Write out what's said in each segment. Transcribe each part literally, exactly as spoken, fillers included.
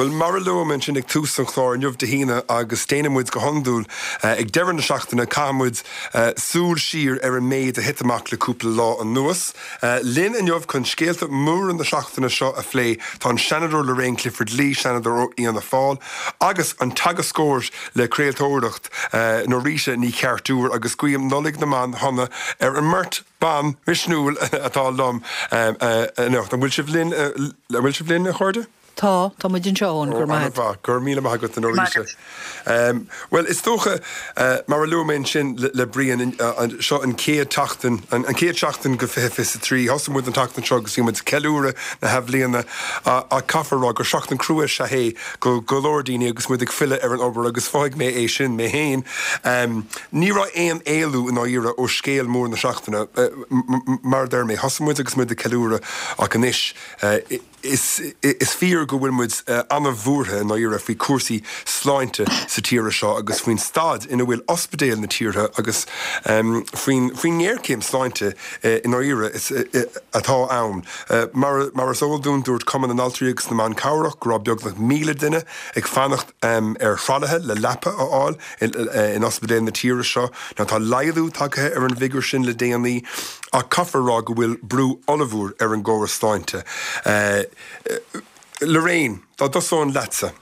Well mar a luaigh mé ansin ag tús an chláir inniu Dé hAoine agus déanann muid go hiondúil eh, ag deireadh na seachtaine caitheann muid eh, súil siar ar an méid a thit amach le cúpla lá anuas. Eh, linn inniu chun scéalta móra na seachtaine seo a phlé tá an Seanadóir Lorraine Clifford Lee Seanadóir ó Fhianna Fáil agus an teagascóir le craoltóireacht Norita Ní Cheartúir agus guím Nollaig na mban shona ar an mbeirt ban misniúil atá liom anocht. An bhfuil sibh linn an bhfuil sibh linn a chairde? Tá tá muid anseo go maith. Gur míle maith agat Norita. Um, well is dócha uh, mar a luaigh mé sin le, le Brian uh, seo an chéad tseachtain an, an chéad seachtain go fiche fiche trí Thosaigh muid an tseachtain seo agus muid ceiliúradh na hathbhliana a caithfear rá gur seachtain crua sé hé go go leor daoine agus muid ag filleadh ar an obair agus mhothaigh mé é sin mé féin. Um, ní raibh aon éalú in áirithe ó scéal mór na seachtaine uh, mar deir mé thosaigh muid agus muid ag ceiliúradh ach anois uh, is, is fíor go bhfuil muid uh, an-bhuartha in áirithe faoi cúrsaí sláinte sa tír seo agus faoin staid ina bhfuil ospidéil na tíre agus um, faoin faoin ngéarchéim sláinte uh, in áirithe uh, atá ann. Uh, mar, mar is eol dúinn dúirt Cumann na nAltraí agus na mBan Cabhrach go raibh beagnach míle duine ag fanacht um, ar thralaithe le leapa a fháil in, in ospidéil na tíre seo, ná tá laghdú tagtha ar an bhfigiúr sin le déanaí ach caithfear rá go bhfuil brú ollmhór ar an gcóras sláinte. Uh, Lorraine, dá dtosóinn leatsa.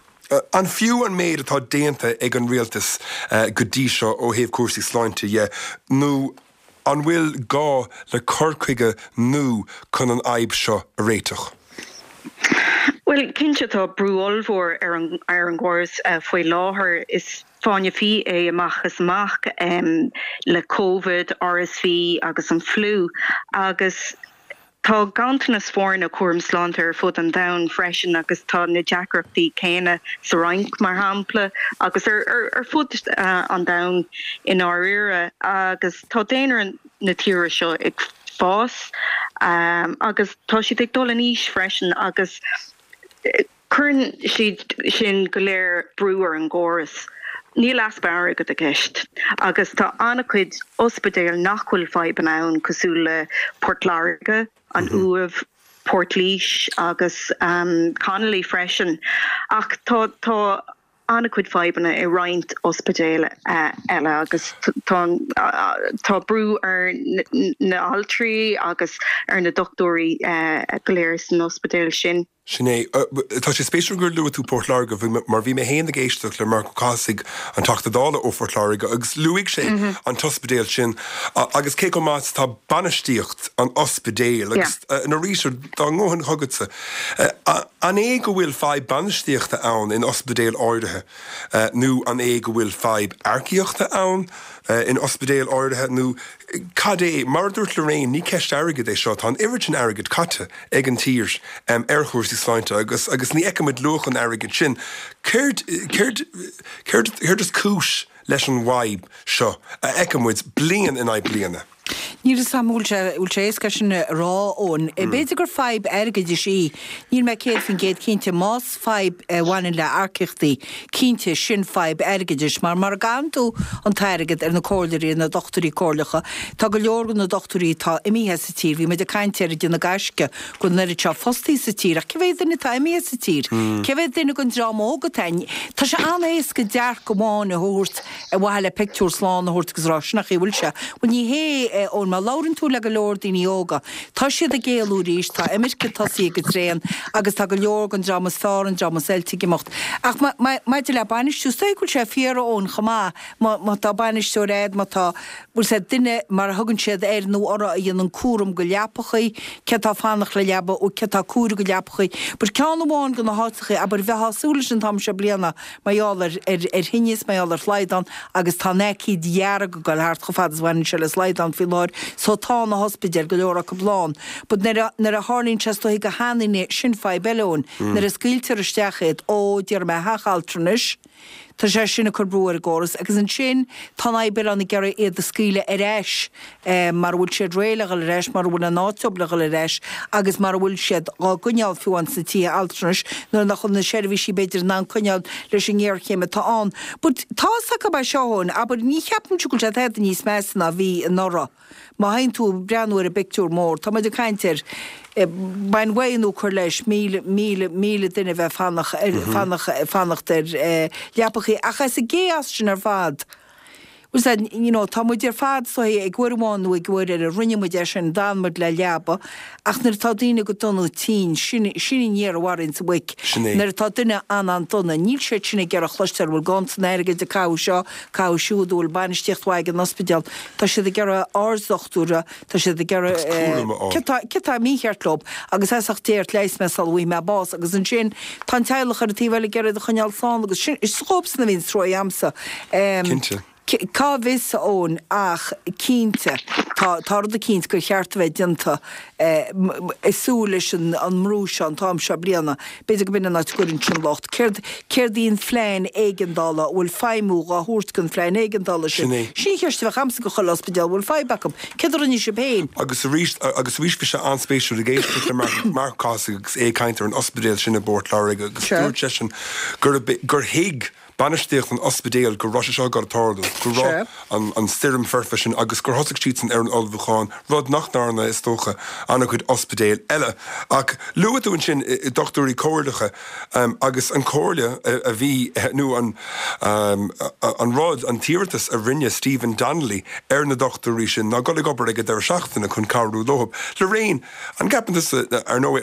An fiú an méid atá déanta ag an rialtas uh, go dtí seo ó thaobh cúrsaí sláinte dhe nó an bhfuil gá le cur chuige nua chun an fhadhb seo a réiteach. Well cinnte tá brú ollmhór ar an ar an gcóras uh, faoi láthair is fáinne fí é amach is amach um, le COVID, RSV agus an fliú agus Tá ganntanas foirne cúram sláinte ar fud an domhain freisin agus tá na deacrachtaí céanna sa Fhrainc mar shampla agus ar, ar, ar fud uh, an domhain i ndáiríre agus tá daonra na tíre seo ag fás um, agus tá siad ag dul in aois freisin agus eh, cuireann siad sin go léir brú ar an gcóras. Níl easpa airgid i gceist agus tá an-chuid ospidéal nach bhfuil fadhbanna ann cosúil le Port Láirge, an mm -hmm. Uaimh, Portlaoise agus um, Connolly freisin ach tá tá an-chuid fadhbanna i roinnt ospidéal uh, eile agus tá uh, tá brú ar na altraí agus ar na dochtúirí uh, go léir san ospidéal sin. Sin é tá sé spéisiúil gur luaigh tú Port Láirge mar bhí mé féin ag éisteacht le Marc Ó Cathasaigh an Teachta Dála ó Phort Láirge agus luaigh sé mm -hmm. an t-ospidéal sin agus cé chomh maith tá bainistíocht an ospidéil agus Norita dá ngabhfainn chugatsa. An é go bhfuil fadhb bainistíochta ann in ospidéil áirithe nó an é go bhfuil fadhb earcaíochta ann in ospidéil áirithe nó cad é mar dúirt Lorraine ní ceist airgid é seo tá an oiread sin airgid caite ag an tír um, ar chúrsaí sláinte agus agus ní fheicimid luach an airgid sin. Céard céard is cúis leis an bhfadhb seo a fheicimid bliain in aghaidh bliana. Ní samúil sé éasca sin rá ón. B'fhéidir gur fadhb airgeadais í, níl mé céad faoin gcéad cinnte más fadhb bhaineann le earcaíochtaí cinnte sin fadhb airgeadais, mar mar gan tú an t-airgead ar na comhairleoirí na dochtúirí comhairleacha, Tá go leor na dochtúirí tá imithe sa tír, bhí muid ag caint ar na gaisce go n-oiread seo fostaí sa tír, ach cé mhéad duine tá imithe sa tír. Cé mhéad duine den dream óg atá. Tá sé an-éasca dearcadh amháin a thabhairt a bhhaile le pictiúr slán a thabhairt agus rá sin nach bhfuil sé. Well ní hé ón má labhrann tú le go leor daoine óga. Tá siad ag éalú arís, tá imirce tosaithe go tréan agus tá go leor den dream is fearr an dream is oilte ag imeacht. Ach maidir le bainistiú sé go sé fíor ón chomá má tá bainisteoir agat má tá bhfuil sé duine mar a thugann siad air nó orthu a dhéanann cúram go leapachaí, cé tá fanacht le leaba ó cé tá cúram go leapachaí. But ceann amháin de na háiteacha abair bheith súil sin tam se bliana mar gheall ar ar thinneas mar gheall ar shlaghdán agus tá an aicíd dhearg go thart chomh fada is bhaineann sé le slaghdán faoi láthair, so tá na hospidéil go leor acu lán. But nuair a tharlaíonn sé stoigh go hanaine sin fadhb eile ann, nuair a scaoiltear isteach iad ó d'iarr mé theach altranais, Tá sé sin ag cur brú ar an gcóras agus ansin tá an fhadhb ann ag iarraidh iad a scaoileadh ar ais mar bhfuil siad réidh le dhul ar ais, mar bhfuil an áit le dhul ar ais agus mar bhfuil siad á gcoinneáil fiú amháin sna tithe altranais nuair nach bhfuil na seirbhísí b'fhéidir in ann coinneáil leis an ngéarchéim atá ann. But tá acu seo ann, abair ní cheapaim go bhfuil sé tada níos measa ná bhí anuraidh. Má théann tú breathnú ar an bpictiúr mór, Tá muid ag caint ar Bain uaidh nó cuir leis míle, míle, míle duine a bheith fanacht, fanacht, fanacht ar leapachaí. Ach as an gchaos sin ar fad, bhfuil a fhios a'd, you know, tá muid ar fad so ag uair amháin nó ag uair eile, rinne muid é sin, d'fhan muid le leaba, ach nuair atá daoine go dona tinn, sin, sin an fhear a mharaíonns an mhuic. Sin é. Nuair atá duine an-an-dona, níl siad sin ag iarraidh chloisteáil bhfuil ganntan airgid ag caitheamh seo, caitheamh siúd, bhfuil bainistíocht mhaith ag an ospidéal. Tá siad ag iarraidh arddochtúra, tá siad ag iarraidh, Agus cúram a fháil. cé tá, cé tá mícheart leo, agus as ucht Dé ort leigheas mé sula bhfaighidh mé bás, agus ansin tá an teaghlach ar an taobh eile ag iarraidh iad a choinneáil slán agus sin, is dhóibhsean a bhíonn trua a'msa. Cinnte. Cá bhfios, a Eoin, ach cinnte, tá, tá rud eicínt gur cheart a bheith déanta ag súil leis an an mbrú seo an t-am seo bliana. B'fhéidir go b'in an áit a gcuireann sin locht. Céard, céard í an phlean éigeandála, an bhfuil feidhmiú dhá thabhairt don phlean éigeandála sin? Sin é. Sin an cheist a bheadh a'msa go chuile ospidéal, an bhfuil fadhb acu? Céard a rinne sibh féin? Agus arís, agus arís bhí sé an-spéisiúil ag éisteacht le Marc, Marc Ó Cathasaigh agus é ag caint ar an ospidéal sin i bPort Láirge agus Sure. dúirt seisean gurb, gur thuig bainistíocht an ospidéil go raibh sé seo ag dul a tarlú, go raibh an an stoirm foirfe sin agus gur thosaigh siadsan ar an ullmhúchán, rud nach ndearna, is dócha, an-chuid ospidéil eile. Ach luaigh tú ansin dochtúirí comhairleacha agus an chomhairle a bhí, nó an an rud, an t-iarratas a rinne Stephen Donnelly ar na dochtúirí sin ná dul ag obair ag an deireadh seachtaine chun cabhrú leo. Lorraine, an gceapann tusa, ar ndóigh,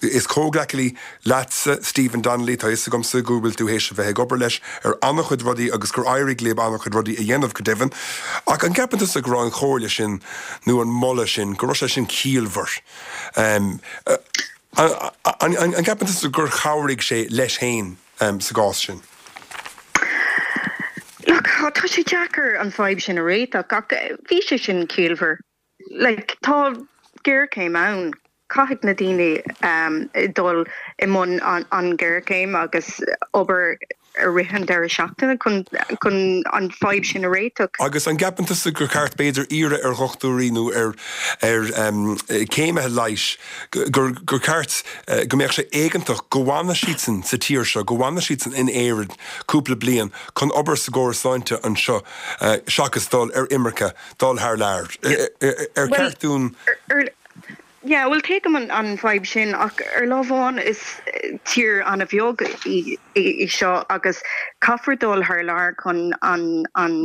is comhghleacaí leatsa Stephen Donnelly, tá a fhios agamsa go bhfuil tú théis a bheith ag obair leis ar an-chuid rudaí agus gur éirigh libh an-chuid rudaí a dhéanamh go deimhin. Ach an gceapann tusa go raibh an chomhairle sin nó an moladh sin, go raibh sé sin ciallmhar? An gceapann tusa gur chabhraigh sé leis féin sa gcás sin? Look, tá sé deacair an fadhb sin a réiteach ach bhí sé sin ciallmhar. Like, tá géarchéim ann. Caithfidh na daoine dul i mbun an ghéarchéim agus obair i rith an deireadh seachtaine chun chun an fadhb sin a réiteach. Agus an gceapann tusa gur ceart b'fhéidir iarraidh ar dhochtúirí nó ar ar céimithe leighis gur gur ceart go mbeadh sé éigeantach go bhfanadh siadsan sa tír seo, go bhfanadh siadsan in Éirinn cúpla bliain chun obair sa gcóras sláinte anseo seachas dul ar imirce, dul thar lear? Ar cheart dúinn. Yeah, bhuel tuigim an an fadhb sin ach ar lámh amháin is tír an-bheag í í seo agus caithfear dul thar lear chun an an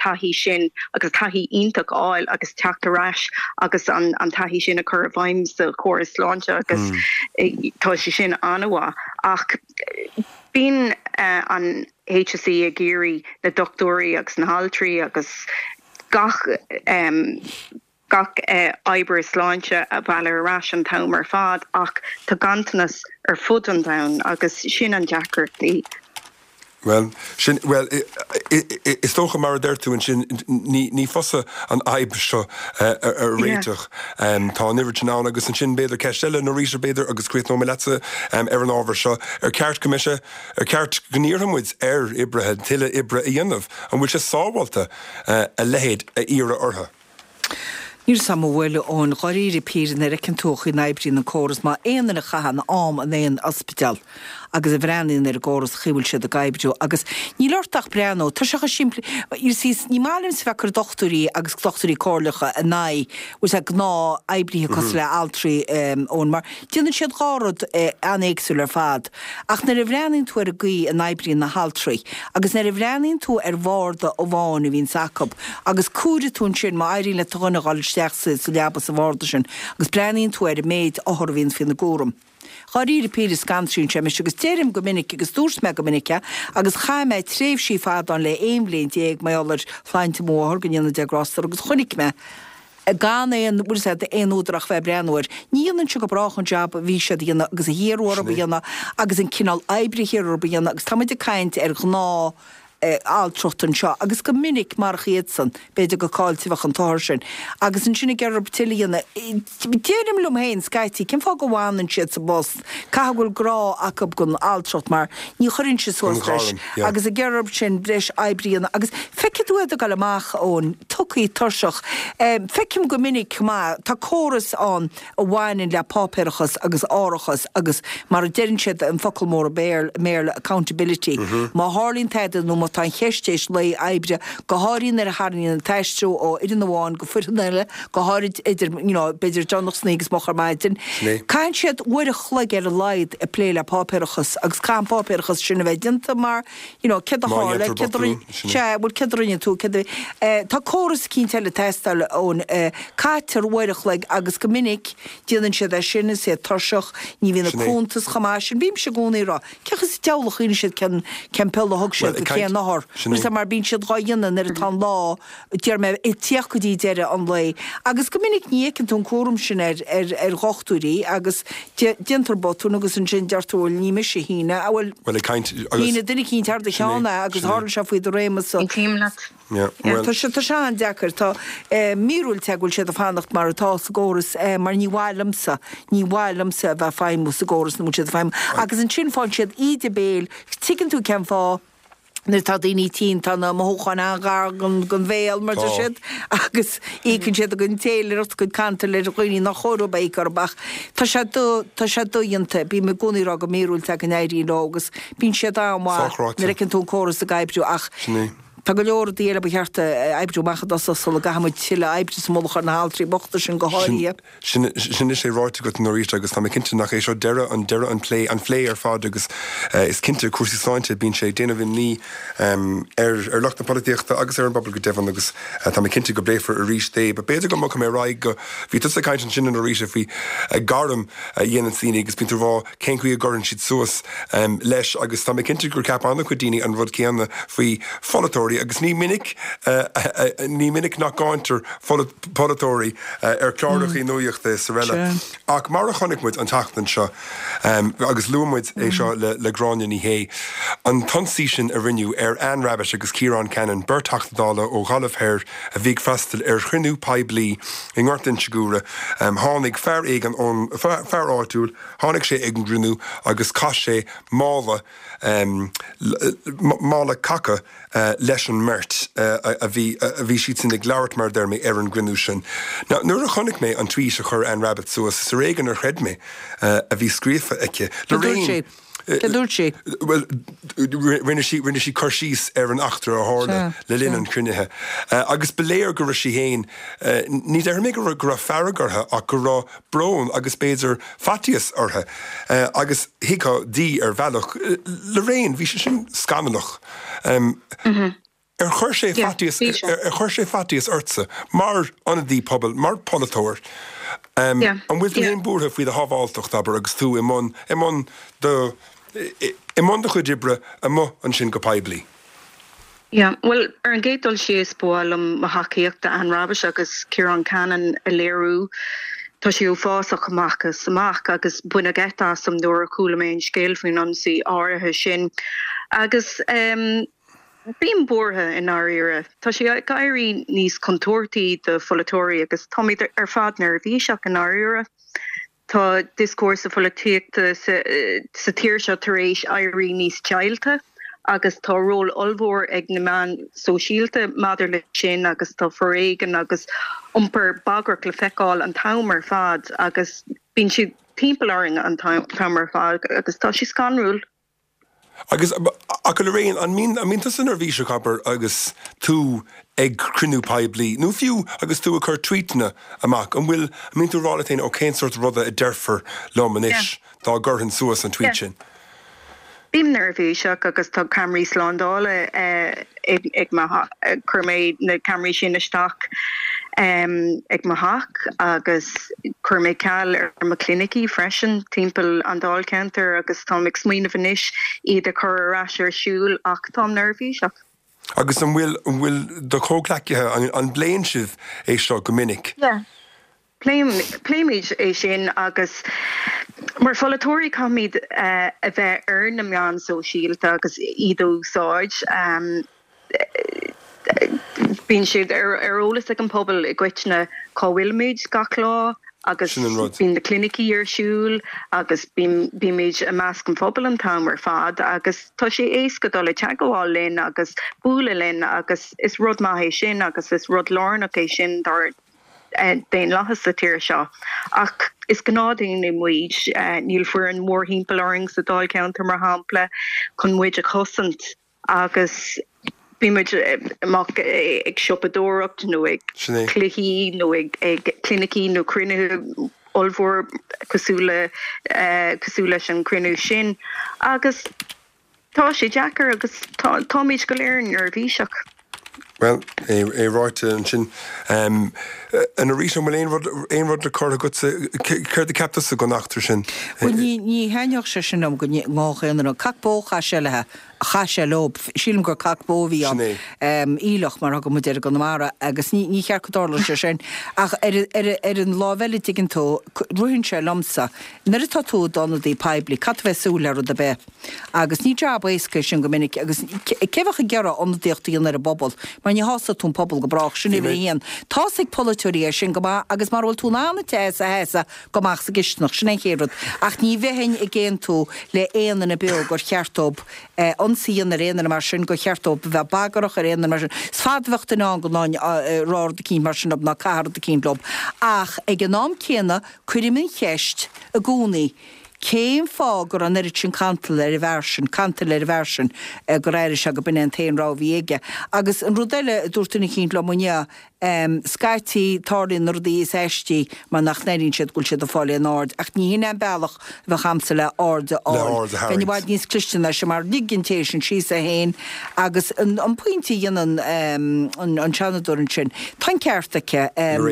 taithí sin agus taithí iontach a fháil agus teacht ar ais agus an an taithí sin a chur i bhfeidhm sa chóras sláinte agus tá sé sin an-mhaith ach bíonn an H S E ag iarraidh na dochtúirí agus na haltraí agus gach um, gach oibrí sláinte a mhealladh ar ais an t-am ar fad ach tá ganntanas ar fud an domhain agus sin an deacracht í. Well, sin well is dócha mar a deir tú ansin ní ní fusa an fhadhb seo a réiteach. Tá an oiread sin ann agus ansin b'fhéidir ceist eile Norita b'fhéidir agus críochnóidh mé leatsa ar an ábhar seo ar ceart go mbeadh sé ar ceart go n-iarrfaidh muid ar oibrithe tuilleadh oibre a dhéanamh, an bhfuil sé sábháilte a leithéid a iarraidh orthu? Níl a fhios a'm an bhfuil ón dháiríre píre nuair a fheiceann tú an chaoi a n-oibríonn an córas má aon duine a chaitheann am in aon ospidéal agus a bhreathnaíonn ar an gcóras chaoi bhfuil siad ag oibriú agus níl ort ach breathnú tá sé chomh simplí you see ní maith liomsa bheith ag cur dochtúirí agus dochtúirí comhairleacha in aghaidh bhfuil sé gnáth oibrithe cosúil le altraí ón mar déanann siad dhá rud an-éagsúil ar fad ach nuair a bhreathnaíonn tú ar an gcaoi a n-oibríonn na haltraí agus nuair a bhreathnaíonn tú ar bharda amháin a bhíonns acu agus cuairfidh tú ansin má éiríonn le do dhuine a dhul isteach sa sa leaba sa bharda sin agus breathnaíonn tú ar an méid othar a bhíonn faoina gcúram. Dháiríre píre scanraíonn sé mise agus deirim go minic agus dúirt mé go minic é agus chaith mé tréimhsí fada ann le aon bhliain déag mar gheall ar shláinte mo mháthar go ndéana Dia grásta uirthi agus chonaic mé gan aon bhfuil a fhios agat aon údar ach bheith ag breathnú air. Ní dhéanann sé go brách an jab a bhí siad a dhéanamh agus a hiarradh orthu a dhéanamh agus an cineál oibre a hiarradh orthu a dhéanamh agus tá muid ag caint ar ghnáth altracht anseo agus go minic marach iadsan, b'fhéidir go caillte a bheadh an t-othar sin. Agus ansin ag iarraidh tuilleadh a dhéanamh. Deirim liom féin scaití, cén fáth go bhfanann siad sa bpost? Caithfidh go bhfuil grá acu don altracht mar ní chuireann siad suas leis agus ag iarraidh sin breis oibre a dhéanamh agus feicfidh tú iad ag dul amach ón tugthaí tuirseach. Feicim go minic chomh maith, tá córas ann a bhaineann le páipéarachas agus árachas agus mar a deireann siad an focal mór i mBéarla accountability. Má tharlaíonn tada nó má tá an cheist théis lae oibre, go háirithe nuair a tharraingíonn an t-aistriú ó fhoireann amháin go foireann eile, go háirid idir, you know, b'fhéidir deireanach san oíche agus moch ar maidin. Caitheann siad uair a chloig ar a laghad ag plé le páipéarachas agus caithfidh an páipéarachas sin a bheith déanta mar, you know, céard a Má tharla, dhéantar céard a botún, rinne, sin é. sea, bhuel céard a rinne tú, céard a, eh, tá córas eicínt eile ag teastáil ón, eh, caitear uair a chloig agus go minic déanann siad é sin is iad tuirseach, ní bhíonn na Sin é. cuntais chomh maith sin. Bímse i gcónaí ag rá, cén chaoi sa diabhal a chuimhníonn siad cén, cén pill a thug Bhuel, siad ag go caint, cén othar. sin é. Mar mar bíonn siad dhá dhéanamh nuair atá an lá, deir mé, ag tíocht go dtí deireadh an lae. Agus go minic ní fheiceann tú an cúram sin ar, ar, ar dhochtúirí agus dé, déantar botún agus ansin deir tú, bhuel, ní mise a shínigh, a bhuel, Bhuel, ag caint, agus shínigh duine eicínt thar do sin é, cheann é agus sin é. tharla sé faoi do réimeas so. Aontaím leat. Yeah, Yeah, well, tá sé tá sé an-deacair tá eh, míorúilt é go bhfuil siad ag fanacht mar atá sa gcóras eh, mar ní mhaith liomsa ní mhaith liomsa a bheith ag feidhmiú sa gcóras ina bhfuil siad ag feidhmiú. Agus ansin faigheann siad íde béil tuigeann tú cén fáth nuair atá daoine tinn tá na mothúcháin an-ghar don don bhéal mar Tá. tá siad agus íocann siad a gcuid téiléireacht a gcuid cantal ar dhaoine nach chóir dóibh a íoc orthu ach tá sé do tá sé dodhéanta bím i gcónaí ag rá go míorúilt é go n-éiríonn leo agus bíonn siad an-mhaith Sochráite. nuair a fheiceann tú an córas ag oibriú ach Sin é. Tá go leor rudaí eile ba cheart a oibriú amach i dtosach sula gcaithfimid tuilleadh oibre sa mullach ar na haltraí bochta sin go háirithe. Sin sin is é ráite agat arís agus tá mé cinnte nach é seo deireadh an deireadh an plé an phlé ar fad agus uh, is cinnte cúrsaí sláinte bíonn sé ag déanamh imní um, ar ar lucht na polaitíochta agus ar an bpobal go deimhin agus uh, tá mé cinnte go bpléifear arís é, ba b'fhéidir go mbogfaidh mé ar aghaidh go bhí tusa ag caint ansin arís faoi uh, gairm uh, dhéanann daoine agus bíonn tú ag rá cén chaoi a gcuireann siad suas um, leis agus tá mé cinnte gur ceap an-chuid daoine an rud céanna faoi pholaiteoirí agus ní minic uh, uh, uh, ní minic nach gcáintear polaiteoirí uh, ar chláracha mm. nuachta is araile. Sure. Ach mar a chonaic muid an tseachtain seo um, agus luaigh muid é seo le, le Gráinne Ní Shé. An t-ionsaí sin a rinneadh ar Anne Rabbitte agus Ciarán Cannon beirt Teachta Dála ó Ghaillimh Thoir a bhí ag freastal ar chruinniú poiblí i nGort Inse Guaire um, tháinig fear éigin ón fear, fear áitiúil, tháinig sé ag an gcruinniú agus chaith sé mála um, mála caca uh, leis an mbeirt uh, a, a bhí a bhí siad sin ag labhairt mar deir mé ar an gcruinniú sin. Now, nuair a chonaic mé an tweet a chuir Anne Rabbitte suas is ar éigean ar chreid mé uh, a bhí scríofa aici. Cad dúirt sé? Cad dúirt sé? Well, rinne sí rinne sí cur síos ar an eachtra a tharla Sea, le linn sea. an chruinnithe. Uh, agus ba léir go raibh sí féin uh, ní deir mé go raibh go raibh fearg uirthi ach go raibh brón agus b'fhéidir faitíos uirthi. Uh, agus thuigfeá di ar bhealach uh, Lorraine bhí sé sin scannalach. Um, mm -hmm. Ar chuir sé Yeah, faitíos bhí sé. ar ar chuir sé faitíos ortsa mar ionadaí pobail mar pholaiteoir. Um, Yeah, an bhfuil tú yeah. féin buartha faoi do shábháilteacht abair agus tú i mbun i mbun do i i mbun do chuid oibre amuigh ansin go poiblí. Yeah, well ar an gcéad dul síos ba mhaith liom mo thacaíocht d'Anne Rabbitte agus Ciarán Cannon a léiriú Tá sé uafásach amach is amach agus baineadh geit asam nuair a chuala mé an scéal faoin ionsaí áirithe sin. Agus um, bím buartha i ndáiríre. Tá sé ag éirí níos contúirtí do pholaiteoirí agus táimid ar fad neirbhíseach i ndáiríre. Tá dioscúrsa polaitíochta sa, sa tír seo tar éis éirí níos deighilte agus tá ról ollmhór ag na meáin sóisialta maidir le sin agus tá foréigean agus iompar bagrach le feiceáil an t-am ar fad agus bíonn siad timpeall orainn an t-am ar fad agus tá sé scanrúil. Agus ach Lorraine an mbíonn an mbíonn tusa neirbhíseach abair agus tú ag cruinniú poiblí. Nó fiú agus tú ag cur tweetanna amach an bhfuil an mbíonn tú ag rá leat féin ó cén sórt ruda a déarfar liom anois dá gcuirfinn suas an tweet Yeah. sin. Bím neirbhíseach agus tá ceamaraí slándála eh, ag ag chuir mé na ceamaraí sin isteach um, ag mo theach agus chuir mé ceal ar mo clinicí freisin timpeall an dáilcheantar agus tá ag smaoineamh anois iad a chur ar ais ar siúl ach táim neirbhíseach. Agus an bhfuil an bhfuil do chomhghleacaithe an, an bpléann sibh é seo go minic. Yeah. Pléimid é sin agus mar pholaiteoirí caithfimid uh, a bheith ar na meáin sóisialta agus iad a úsáid. Um, Bíonn siad ar ar eolas ag an pobal i gcoitinne cá bhfuilimid gach lá agus Sin an rud. bíonn na clinicí ar siúl agus bímid i measc an phobail an t-am ar fad agus tá sé éasca dul i dteagmháil linn agus bualadh linn agus is rud maith é sin agus is rud lárnach é sin dár eh, daonlathas sa tír seo. Ach is gnáthdaoine muid eh, níl foireann mór timpeall orainn sa dáilcheantar mar shampla chun muid a chosaint agus bíonn muid amach ag siopadóireacht nó ag cluichí nó ag ag clinicí nó cruinnithe ollmhór cosúil le cosúil leis an cruinniú sin agus tá sé deacair agus táimid go léir neirbhíseach. Bhuel, é ráite ansin. A Norita, an bhfuil aon rud, aon rud le cur agatsa? Céard a cheap tusa den eachtra sin? Bhuel, ní, ní thaitneodh sé sin liom go ngabhfadh aon duine. Cac bó a chaith sé léi, chaith sé leo. Sílim gur cac bó a bhí ann. Sin é. Aoileach, mar a thugann muid air i gConamara, agus ní, ní cheart go dtarlódh sé sin. Ach ar, ar, ar an lámh eile, tuigeann tú, ritheann sé liomsa, nuair atá tú i d'ionadaí poiblí, caithfidh tú bheith ag súil le rud ar bith. Agus ní jab éasca é sin go minic agus cé bheadh ag iarraidh ionadaíocht a dhéanamh ar an bpobal mar ní shásóidh tú an pobal go brách, sin uimhir a haon. Tá's ag polaiteoirí é sin go maith agus mara bhfuil tú in ann an tae a sheasamh, gabh amach sa gcisteanach, sin é an chéad rud. Ach ní bheinn ag aontú le aon duine beo gur cheart dóibh ionsaí a dhéanamh ar aon duine mar sin, gur cheart dóibh a bheith bagrach ar aon duine mar sin. Is fada a bheadh duine ann go rá rud eicínt mar sin leo ná caitheamh rud eicínt leo. Ach ag an am céanna cuirim an cheist i gcónaí, Cén fáth go raibh an oiread sin cantail ar an bhfear sin, cantail ar an bhfear sin, gur airigh sé go b'in é an t-aon rogha a bhí aige? Agus an rud eile a dúirt duine eicínt liom inniu, scaití tarlaíonn na rudaí is aistí mar nach n-airíonn siad go bhfuil siad ag fáil aon aird, ach ní hin é an bealach a bheadh a'msa le aird a fháil. Bheinn i bhfad níos cliste ná sin mar lig an té sin síos é féin agus an pointe a dhéanann an Seanadóir ansin, tá an ceart aici,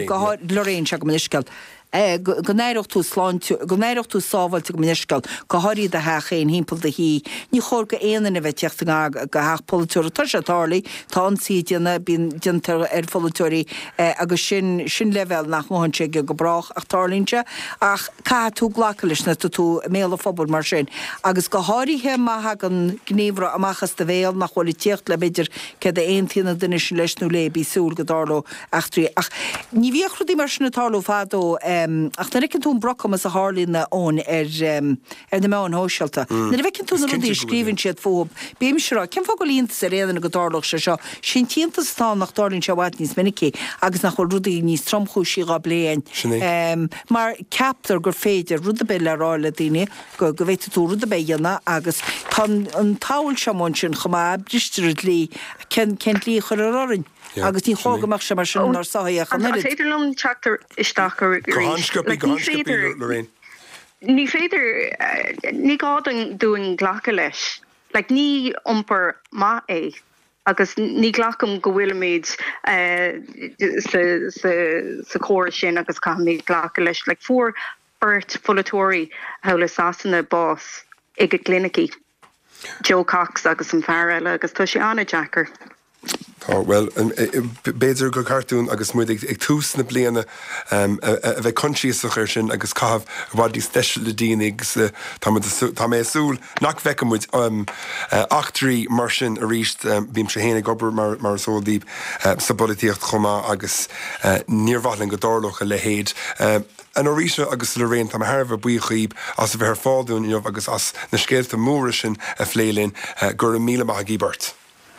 go háirithe, Lorraine, sea, gabh mo leithscéal. go n-aireodh tú sláinte, go n-aireodh tú sábháilte gabh mo leithscéal, go háirithe i do theach féin, thimpeall do thí. Ní chóir go aon duine a bheith ag tíocht i ngar go theach polaiteora. Tá sé tarlaithe, tá ionsaí déanta, bíonn déanta ar pholaiteoirí agus sin, sin leibhéal nach ngabhann sé aige go brách ach tarlaíonn sé. Ach caithfidh tú glacadh leis nuair atá tú i mbéal an phobail mar sin agus go háirithe má thagann gníomhartha amach as do bhéal nach bhfuil ag tíocht le b'fhéidir céard a aontaíonn an duine sin leis nó léi, bí ag súil go dtarlódh eachtraí. Ach ní bhíodh rudaí mar sin ag tarlú fadó ach nuair a fheiceann tú an brocamas a tharlaíonn Eoin ar ar na meáin shóisialta, nuair a fheiceann tú na rudaí a scríobhann siad fúthu, bímse ag rá, cén fáth go bhfuil iontas ar aon duine go dtarlódh sé seo? Sé an t-iontas atá ann nach dtarlaíonn sé i bhfad níos minicí agus nach bhfuil rudaí níos tromchúisí dhá bplé againn. Mar ceaptar gur féidir rud ar bith le rá le daoine, go go bhféadfaidh tú rud ar bith a dhéanamh agus tá an tsamhail seo amuigh ansin chomh maith, bristear an dlí, cén cén dlí a chuirfear orainn? Agus ní chóir go mbeadh sé mar sin inár sochaí ach an An oiread. féidir liom teacht isteach Go arís? han-sciobtha, Like, go ní han-sciobtha, féidir, Lorraine. ní féidir, ní gá dúinn glacadh leis. Like, ní iompar maith é agus ní ghlacaim go bhfuilimid sa, sa, sa chóras sin agus caithfimid glacadh leis. Like, fuair beirt pholaiteoirí thall i Sasana bás ag a gclinicí. Jo Cox agus an fear eile agus tá sé an-deacair. Tá, bhuel, b'fhéidir gur ceart dúinn agus muid ag tús na bliana a bheith coinsiasach air sin agus caitheamh i bhfad níos deise le daoine agus tá muid, tá mé ag súil nach bhfeicfidh muid eachtraí mar sin arís. Bímse féin ag obair mar mar is eol daoibh sa bpolaitíocht chomh maith agus níor mhaith linn go dtarlódh a leithéid. A Norita agus a Lorraine, tá mé thar a bheith buíoch dhaoib as a bheith ar fáil dúinn inniu agus as na scéalta móra sin a phlé linn. Go raibh míle maith agaibh beirt.